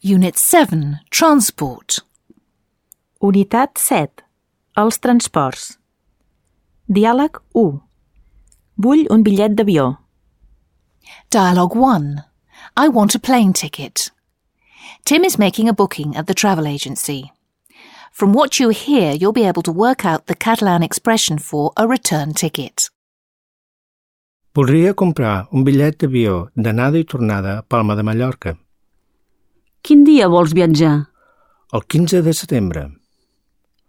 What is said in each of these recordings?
Unit 7, Transport. Unitat 7. Els transports. Diàleg 1. Vull un bitllet d'avió. Dialogue 1. I want a plane ticket. Tim is making a booking at the travel agency. From what you hear, you'll be able to work out the Catalan expression for a return ticket. Voldria comprar un bitllet d'avió d'anada i tornada a Palma de Mallorca. Quin dia vols viatjar? El 15 de setembre.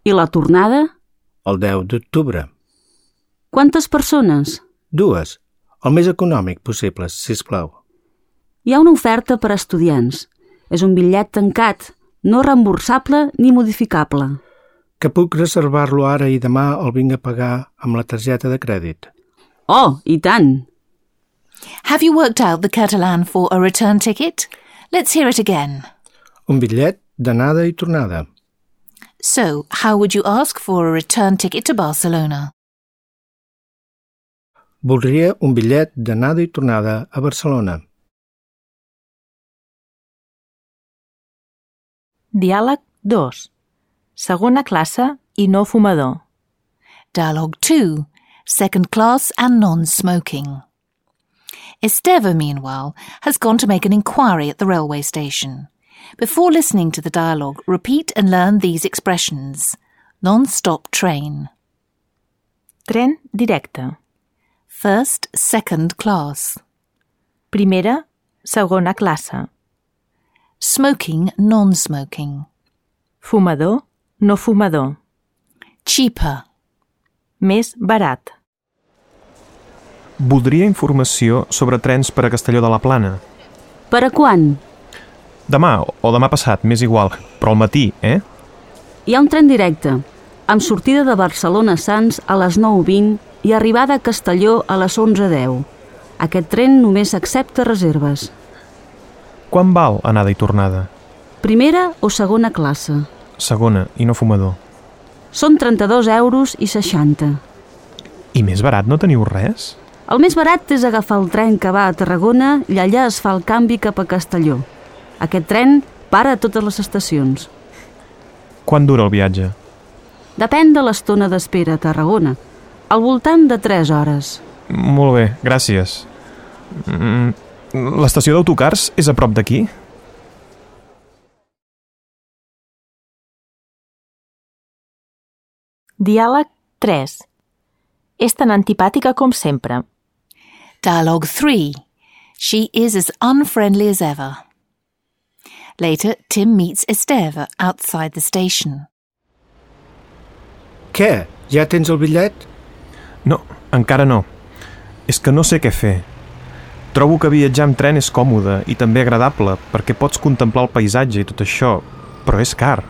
I la tornada? El 10 d'octubre. Quantes persones? 2. El més econòmic possible, sisplau. Hi ha una oferta per a estudiants. És un bitllet tancat, no reemborsable ni modificable. Que puc reservar-lo ara i demà el vinc a pagar amb la targeta de crèdit. Oh, i tant! Have you worked out the Catalan for a return ticket? Let's hear it again. Un bitllet d'anada i tornada. So, how would you ask for a return ticket to Barcelona? Voldria un bitllet d'anada i tornada a Barcelona. Diàleg 2. Segona classe i no fumador. Dialogue 2, second class and non-smoking. Esteva, meanwhile, has gone to make an inquiry at the railway station. Before listening to the dialogue, repeat and learn these expressions. Non-stop train. Tren directe. First, second class. Primera, segona classe. Smoking, non-smoking. Fumador, no fumador. Cheaper. Més barat. Voldria informació sobre trens per a Castelló de la Plana. Per a quan? Demà o demà passat, m'és igual, però al matí, eh? Hi ha un tren directe, amb sortida de Barcelona Sants a les 9:20 i arribada a Castelló a les 11:10. Aquest tren només accepta reserves. Quan val anada i tornada? Primera o segona classe? Segona, i no fumador. Són 32,60 €. I més barat no teniu res? El més barat és agafar el tren que va a Tarragona i allà es fa el canvi cap a Castelló. Aquest tren para a totes les estacions. Quant dura el viatge? Depèn de l'estona d'espera a Tarragona. Al voltant de 3 hores. Molt bé, gràcies. L'estació d'autocars és a prop d'aquí? Diàleg 3. És tan antipàtica com sempre. Dialogue 3. She is as unfriendly as ever. Later, Tim meets Esteva outside the station. Què? Ja tens el bitllet? No, encara no. És que no sé què fer. Trobo que viatjar amb tren és còmode i també agradable perquè pots contemplar el paisatge i tot això, però és car.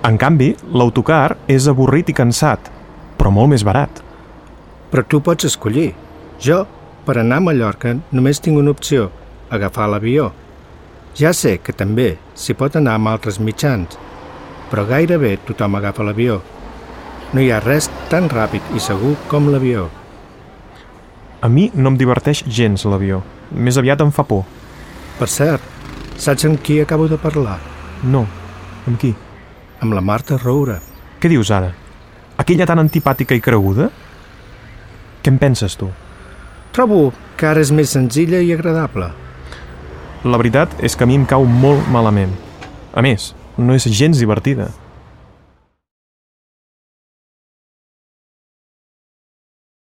En canvi, l'autocar és avorrit i cansat, però molt més barat. Però tu pots escollir. Jo, per anar a Mallorca, només tinc una opció, agafar l'avió. Ja sé que també s'hi pot anar amb altres mitjans, però gairebé tothom agafa l'avió. No hi ha res tan ràpid i segur com l'avió. A mi no em diverteix gens l'avió. Més aviat em fa por. Per cert, saps amb qui acabo de parlar? No. Amb qui? Amb la Marta Roura. Què dius ara? Aquella tan antipàtica i creguda? Què en penses, tu? Trobo que ara és més senzilla i agradable. La veritat és que a mi em cau molt malament. A més, no és gens divertida.